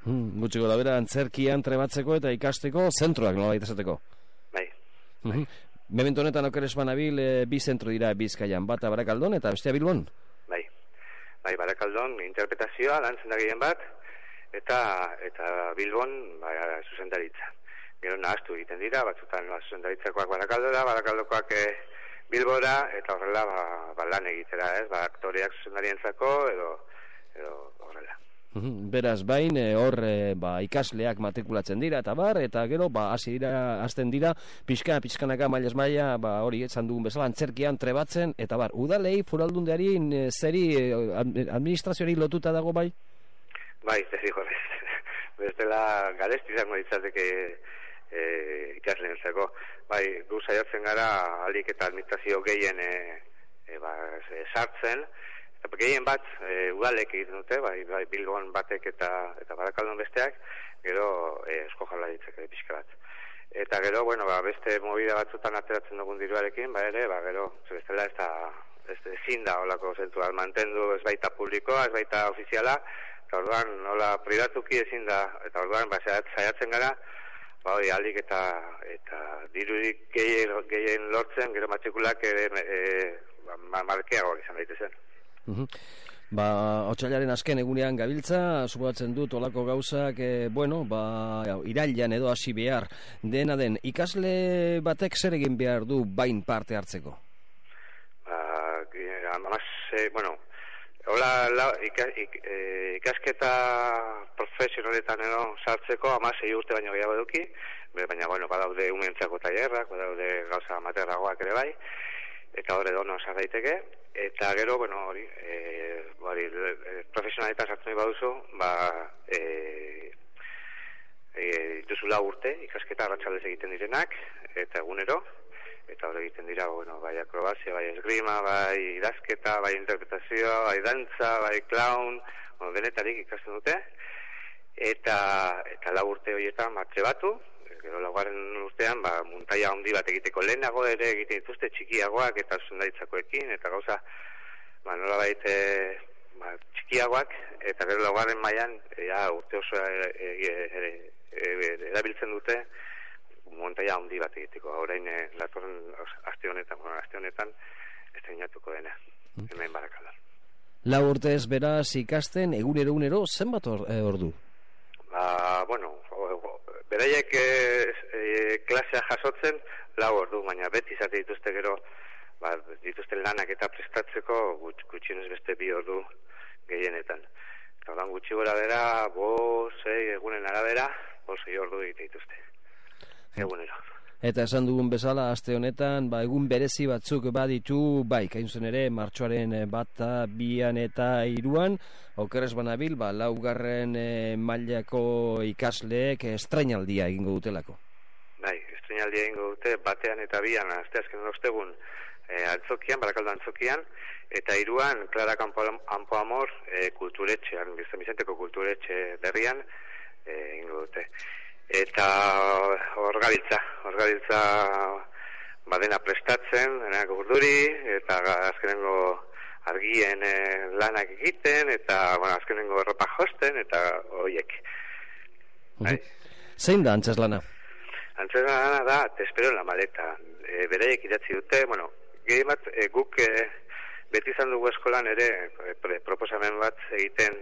S2: Gutxiko da bera, antzerkian trebatzeko eta ikasteko zentroak nolabait esateko.
S5: Bai.
S2: Memento honetan okeres banabil, bi zentro dira Bizkaian, bata Barakaldon eta bestea Bilbon?
S5: Bai, Barakaldon interpretazioa lantzen da gehien bat, eta Bilbon zuzendaritza. Gero nahaztu egiten dira, batzutan zuzendaritzakoak Barakaldora, Barakaldokoak Bilbora, eta horrela lan egitera, ez? Aktoreak zuzendarientzako edo horrela.
S2: Beraz, bain, hor ikasleak matrikulatzen dira, eta gero, hasten dira, pixkanaka, mailaz maila, hori, esan dugun bezala, antzerkian trebatzen, eta udalei, foraldundeari, zeri, administrazioari lotuta dago, bai?
S5: Bai, zeri horrez. Bestela, garesti izango ditzateke ikasleentzako. Bai, gu saiatzen gara alik eta administrazio gehien sartzen, eta gehien bat udalek egiten dute, bai Bilbon batek eta Barakaldon besteak, gero Eusko Jaurlaritzak pixka bat. Eta gero, bueno, beste movida batzutan ateratzen dugun diruarekin, ere, gero, bestela ezin da holako zentua mantendu, ez baita publikoa, ez baita ofiziala, eta orduan, nola privatuki ezin da, eta orduan, saiatzen gara, hori aldik eta dirurik gehien lortzen, gero matrikulak markeagoak izan daitezen.
S2: Otsailaren azken egunean gabiltza, suposatzen dut olako gauzak, irailean edo hasi behar dena den. Ikasle batek zer egin behar du bain parte hartzeko?
S5: Ikasketa profesionaletan edo sartzeko 16 urte baino gehiago eduki, baina badaude umentzako tailerrak, badaude gauza amaterragoak ere bai, eta hor edo sar daiteke, eta gero, profesionaletan sartu nahi baduzu, dituzula urte, ikasketa arratsaldez egiten direnak, eta egunero, eta hor egiten dira, bai akrobazia, bai esgrima, bai idazketa, bai interpretazioa, bai dantza, bai clown, denetarik ikasten dute, eta 4 urte horietan trebatu, gero 4. urtean muntaia handi bat egiteko lehenago ere egiten dituzte txikiagoak eta zuzendaritzakoekin, eta gauza nolabait txikiagoak, eta gero 4. mailan urte oso erabiltzen dute montaia handi bat egiteko. Orain datorren aste honetan estreinatuko dena, hemen Barakaldan.
S2: 4 urtez beraz ikasten, egunero, zenbat ordu?
S5: Beraiek klasea jasotzen 4 ordu, baina beti izate dituzte gero, dituzten lanak eta prestatzeko gutxienez beste 2 ordu gehienetan. Eta ordan gutxi gora bera, 5-6 egunen arabera, 5-6 ordu egite dituzte. Egunero.
S2: Eta esan dugun bezala, aste honetan, egun berezi batzuk baditu, kainzen ere, martxoaren 1, 2 eta 3, okerrez banabil, 4. mailako ikasleek estrainaldia egingo dutelako.
S5: Estrainaldia egingo dute, 1 eta 2, asteazken ostegun, Antzokian, Barakaldo Antzokian, eta 3, Clara Campo Amor kulturetxean, San Vicenteko kulturetxe berrian egingo dute. Eta hor gabiltza badena prestatzen, denak urduri, eta azkenengo argien lanak egiten, eta azkenengo erropa josten, eta horiek.
S2: Zein da antzeslana?
S5: Antzeslana da, te espero en la maleta. Beraiek idatzi dute, gehi bat, guk beti izan dugu eskolan ere proposamen bat egiten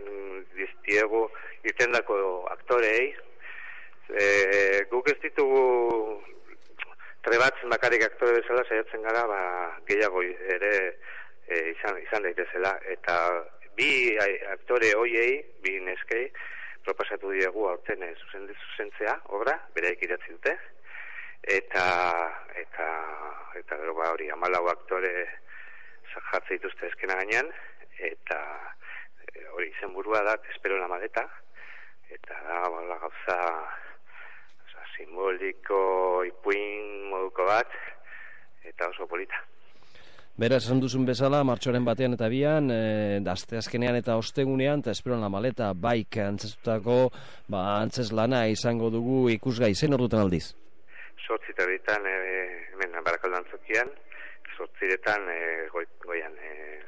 S5: diztiegu irtendako aktoreei. Guk ez ditugu trebatzen bakarrik aktore bezala saiatzen gara, gehiago ere izan daitezela, eta 2 aktore hoiei, 2 neskei proposatu diegu aurten zuzentzea obra, beraiek idatzi dute, eta hori 14 aktore jartze dituzte eskena gainean, eta hori izenburua da, te espero en la maleta, eta da gauza simboliko, ipuin moduko bat, eta oso polita.
S2: Beraz, esan duzun bezala, martxoaren 1 eta 2, asteazkenean eta ostegunean, eta espero en la maleta, antzestutako, antzeslana izango dugu ikusgai, zein ordutan aldiz?
S5: 8:00 hemen Barakaldo Antzokian, 8:00 goian,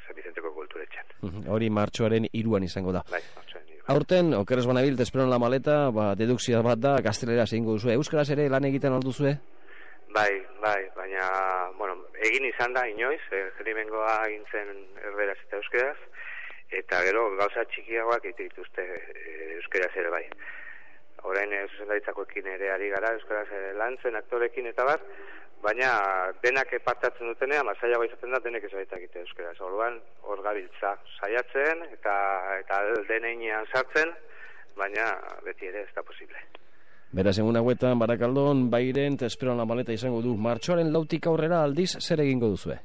S5: San Vicenteko kulturetxean.
S2: Hori martxoaren 3 izango da.
S5: Martxoaren 3.
S2: Aurten, okeres banabil, espero en la maleta, dedukzioa bat da, gaztelera egingo duzue. Euskaraz ere lan egiten alduzue?
S5: Bai, baina, egin izan da inoiz, jerimengoa egintzen erderaz eta euskaraz, eta gero gauza txikiagoak egite dituzte euskaraz ere bai. Orain zuzendaritzakoekin ere ari gara, euskaraz lantzen, aktorekin eta bat, baina denak partatzen dutenean, zailagoa izaten da, denek ez baita egite euskaraz. Orduan, hor gabiltza saiatzen, eta deneinean sartzen, baina beti ere ez da posible.
S2: Beraz, egun hauetan, Barakaldon, Bairen, eta espero en la maleta izango du. Martxoaren 4 aurrera aldiz, zer egingo duzue?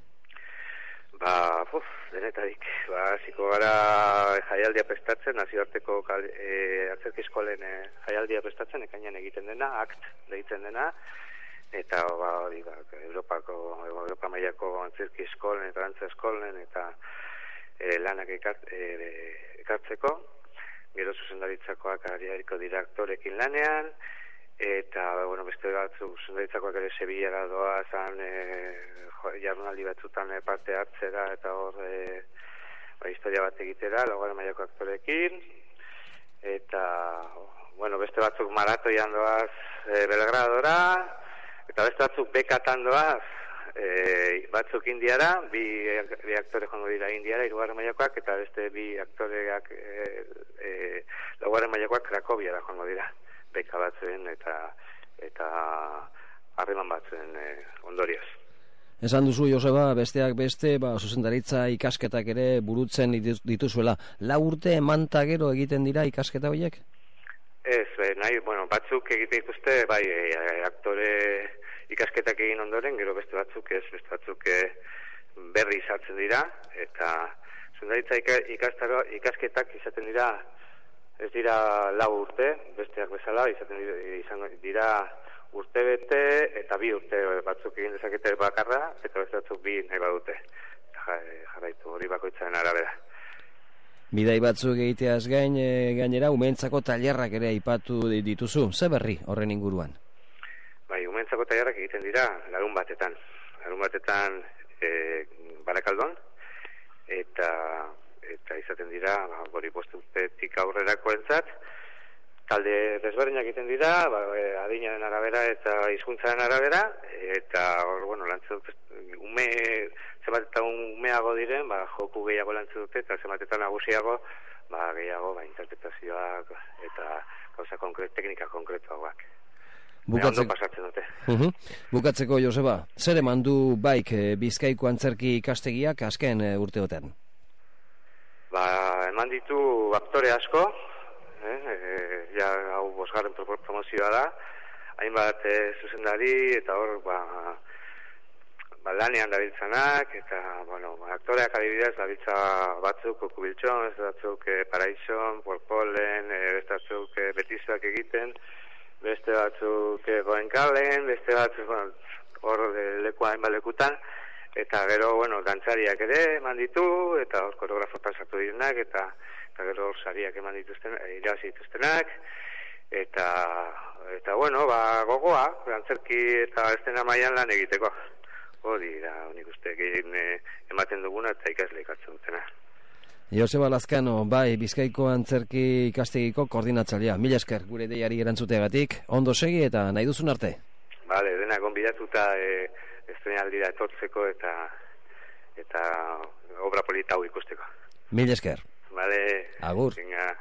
S5: Denetarik. Ziko gara jaialdia prestatzen, nazioarteko atzerki eskolen jaialdia prestatzen, ekainan egiten dena, akt deitzen dena, eta Europa mailako antzerki eskolen eta dantza eskolen eta lanak ekartzeko, gero zuzendaritzakoak ariariko dira aktorekin lanean, eta beste batzuk zuzendaritzakoak ere Sevillara doazan jardunaldi batzutan parte hartzera eta hor historia bat egitera, 4. mailako aktorekin, eta beste batzuk maratoian doaz Belgradora, eta beste batzuk bekatan doaz batzuk Indiara, 2 aktore joango dira Indiara, 3. mailakoak, eta beste 2 aktoreak 4. mailakoak Krakoviara joango dira, beka batzuen eta harreman batzuen ondorioz.
S2: Esan duzu, Joseba, besteak beste, zuzendaritza ikasketak ere burutzen dituzuela. 4 urte emanta gero egiten dira ikasketa horiek?
S5: Ez, batzuk egiten dituzte, aktore ikasketak egin ondoren, gero beste batzuk berri izartzen dira, eta zuzendaritza ikasketak izaten dira, ez dira 4 urte, besteak bezala, izan dira urte bete eta 2 urte batzuk egin dezakete bakarra, eta beste batzuk 2 nahi badute. Jarraitu hori bakoitzaren arabera.
S2: Bidai batzuk egiteaz gainera, umeentzako tailerrak ere aipatu dituzu. Ze berri horren inguruan?
S5: Umeentzako tailerrak egiten dira larun batetan Barakaldon, eta izaten dira hori 5 urtetik aurrerakoentzat, talde desberdinak egiten dira, adinaren arabera eta hizkuntzaren arabera, eta hor, bueno, lantzen dute, zenbatetan umeago diren, joku gehiago lantzen dute, eta zenbatetan nagusiago, gehiago, interpretazioak eta gauza teknika konkretuagoak. Ondo pasatzen dute.
S2: Bukatzeko, Joseba, zer eman du baik Bizkaiko antzerki ikastegiak azken urteotan?
S5: Eman ditu aktore asko, hau 5. promozioa da, hainbat zuzendari, eta hor, lanean dabiltzanak, eta, aktoreak adibidez, dabiltza batzuk Kubiltxon, batzuk Paraison, Porpolen, beste batzuk Betizuak egiten, beste batzuk Goenkalen, beste batzuk, hor lekua hainbat lekutan, eta gero, dantzariak ere eman ditu, eta hor koreografotan sartu direnak, eta gero hor sariak eman dituzten, irabazi dituztenak, eta gogoa, antzerki eta estena mailan lan egiteko. Hori da, nik uste egin ematen duguna eta ikasle ikatzen dutena.
S2: Joseba Lazkano, Bizkaiko antzerki ikastegiko koordinatzailea. Mila esker gure deiari erantzuteagatik, ondo segi eta nahi duzun arte.
S5: Bale, dena gonbidatuta estrenaldira etortzeko eta obra polita hau ikusteko.
S2: Mila esker.
S5: Bale.
S2: Agur.
S5: Venga.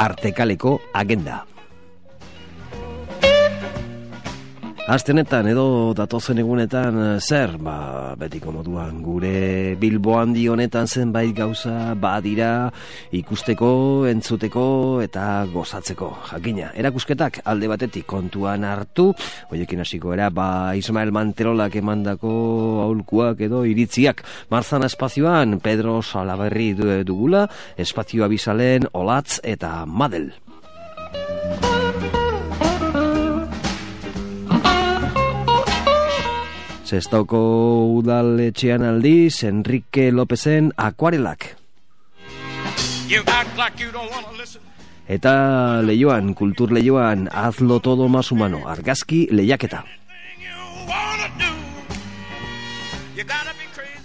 S2: Artekaleko agenda. Astenetan edo datozen egunetan zer, betiko moduan gure Bilbo handi honetan zenbait gauza badira ikusteko, entzuteko eta gozatzeko. Jakina, erakusketak alde batetik kontuan hartu, hoiekin hasiko era Ismael Manterolak emandako aholkuak edo iritziak. Marzana espazioan Pedro Salaberri dugula, espazioa bizalen Olatz eta Madel. Sestaoko udaletxean aldiz, Enrique Lopezen Akuarelak. Eta Leioan, Kultur Leioan, Hazlo todo más humano, argazki lehiaketa.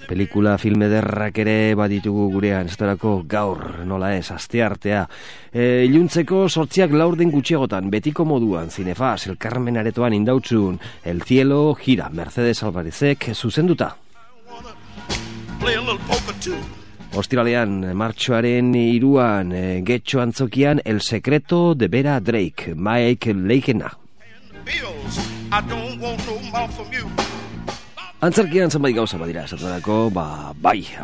S2: Pelikula filme derrak ere baditugu gurean, estorako gaur, nola ez, asteartea. Iluntzeko 8:04 gutxiagotan, betiko moduan, Cinefas, El Carmen aretoan indautzun, El cielo gira, Mercedes Alvarezek zuzenduta. Ostiralean, martxoaren 3, Getxo antzokian, El secreto de Vera Drake, Mike Leigena. Antzerkian zenbait gauza badira, esaterako,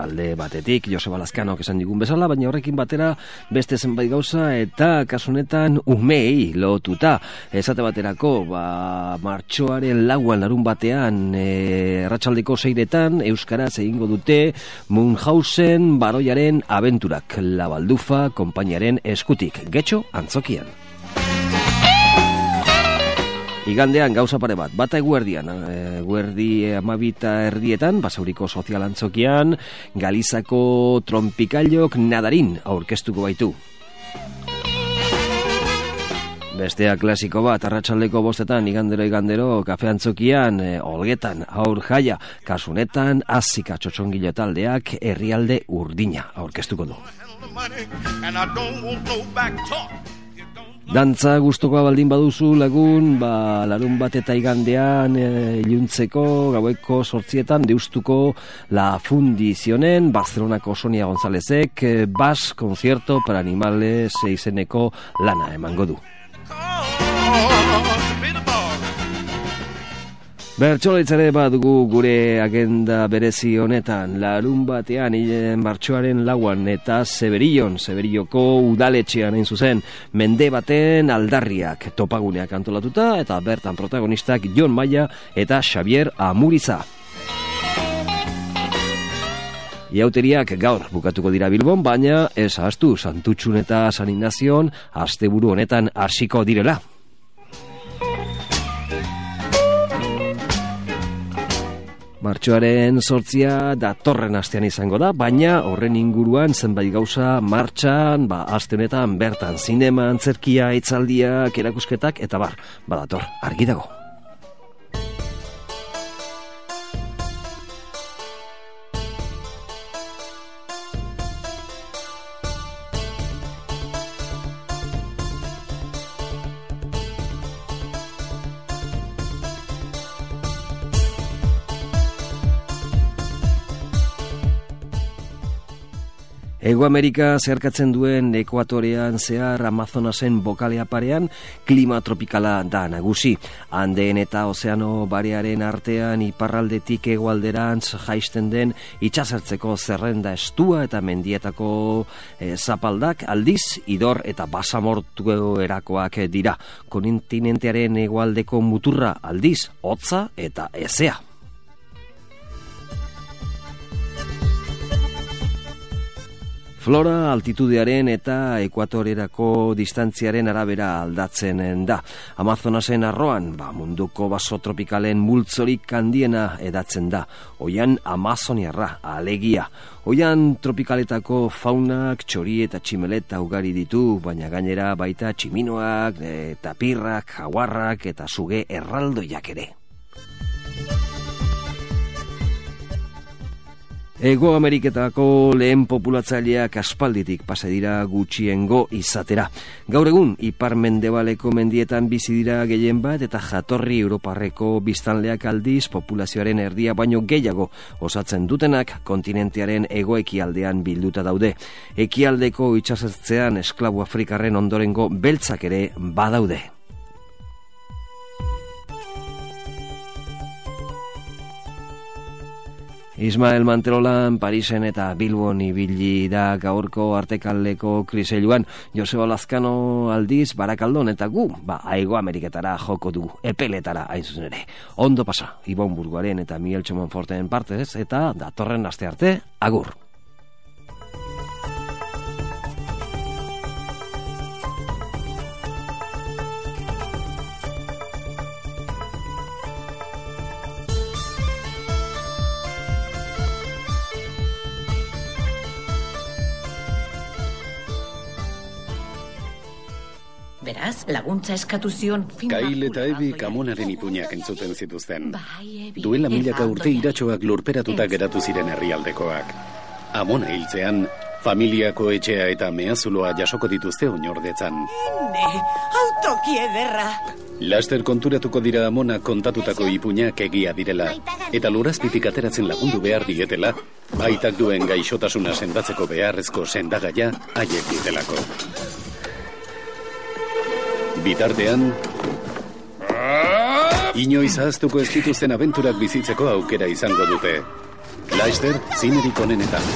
S2: alde batetik, Joseba Lazkanok esan digun bezala, baina horrekin batera beste zenbait gauza eta kasunetan umei lotuta. Esate baterako, martxoaren 4 larun batean, arratsaldeko 6 euskaraz egingo dute Munchausen baroiaren abenturak, La Baldufa konpainiaren eskutik, Getxo antzokian. Igandean gauza pare bata eguerdian, eguerdi 12:30, Basauriko sozial antzokian, Galizako trompikailok nadarin aurkeztuko baitu. Bestea klasiko bat, arratsaldeko 5, igandero, kafe antzokian, Olgetan, aur jaia, kasunetan, Azika txotxongilo taldeak herrialde urdina aurkeztuko du. Dantza gustokoa baldin baduzu lagun, larun bat eta igandean iluntzeko gaueko 8 deustuko La Fundizionen, Barcelonako Sonia Gonzálezek, Bas Concierto para Animales izeneko lana emango du. Bertsolaitzare badugu gure agenda berezi honetan, larun batean martxoaren 4 eta Severioko udaletxean hain zuzen, mende baten aldarriak topaguneak antolatuta eta bertan protagonistak Jon Maia eta Xavier Amuriza. Iauteriak gaur bukatuko dira Bilbon, baina ez ahaztu Santutxun eta San Ignazion asteburu honetan hasiko direla. Martxoaren 8 datorren astean izango da, baina horren inguruan zenbait gauza martxan, aste honetan bertan zinema, antzerkia, hitzaldiak, erakusketak eta badator, argi dago. Hego Amerika zeharkatzen duen ekuatorean zehar Amazonasen bokalea parean klima tropikala da nagusi. Andeen eta ozeano barearen artean iparraldetik hegoalderantz jaisten den itsasertzeko zerrenda estua eta mendietako zapaldak aldiz idor eta basamortu erakoak dira. Kontinentearen hegoaldeko muturra aldiz hotza eta hezea. Flora altitudearen eta ekuatorerako distantziaren arabera aldatzen da. Amazonasen arroan, munduko baso tropikalen multzorik handiena edatzen da. Oian amazoniarra, alegia. Oian tropikaletako faunak, txori eta tximeleta ugari ditu, baina gainera baita tximinoak, tapirrak, jaguarrak eta suge erraldoiak ere. Hego Ameriketako lehen populatzaileak aspalditik pasa dira gutxiengo izatera. Gaur egun, ipar-mendebaleko mendietan bizi dira gehien bat eta jatorri europarreko biztanleak aldiz populazioaren erdia baino gehiago osatzen dutenak kontinentearen hego-ekialdean bilduta daude. Ekialdeko itsasertzean esklabu afrikarren ondorengo beltzak ere badaude. Ismael Manterolan, Parisen eta Bilbon ibili da gaurko artekaldeko kriseiluan. Joseba Lazkano aldiz Barakaldon eta gu, Hego Ameriketara joko dugu, epeletara hain zuzen ere. Ondo pasa, Ibon Burguaren eta Miguel Txomonforten partez eta datorren aste arte, agur.
S6: Beraz, laguntza eskatu zion...
S7: Kail eta Ebi Amonaren ipuinak entzuten zituzten. Duela milaka urte iratxoak lurperatuta geratu ziren herrialdekoak. Amona hiltzean, familiako etxea eta mehazuloa jasoko dituzte oinordetzan.
S6: Autoki ederra!
S7: Laster konturatuko dira Amona kontatutako ipuinak egia direla, eta lurazpitik ateratzen lagundu behar dietela, baitak duen gaixotasuna sendatzeko beharrezko sendagaia haiek ditelako. Bitartean, inoiz ahaztuko ez dituzten abenturak bizitzeko aukera izango dute. Laster, zinerik onenetan.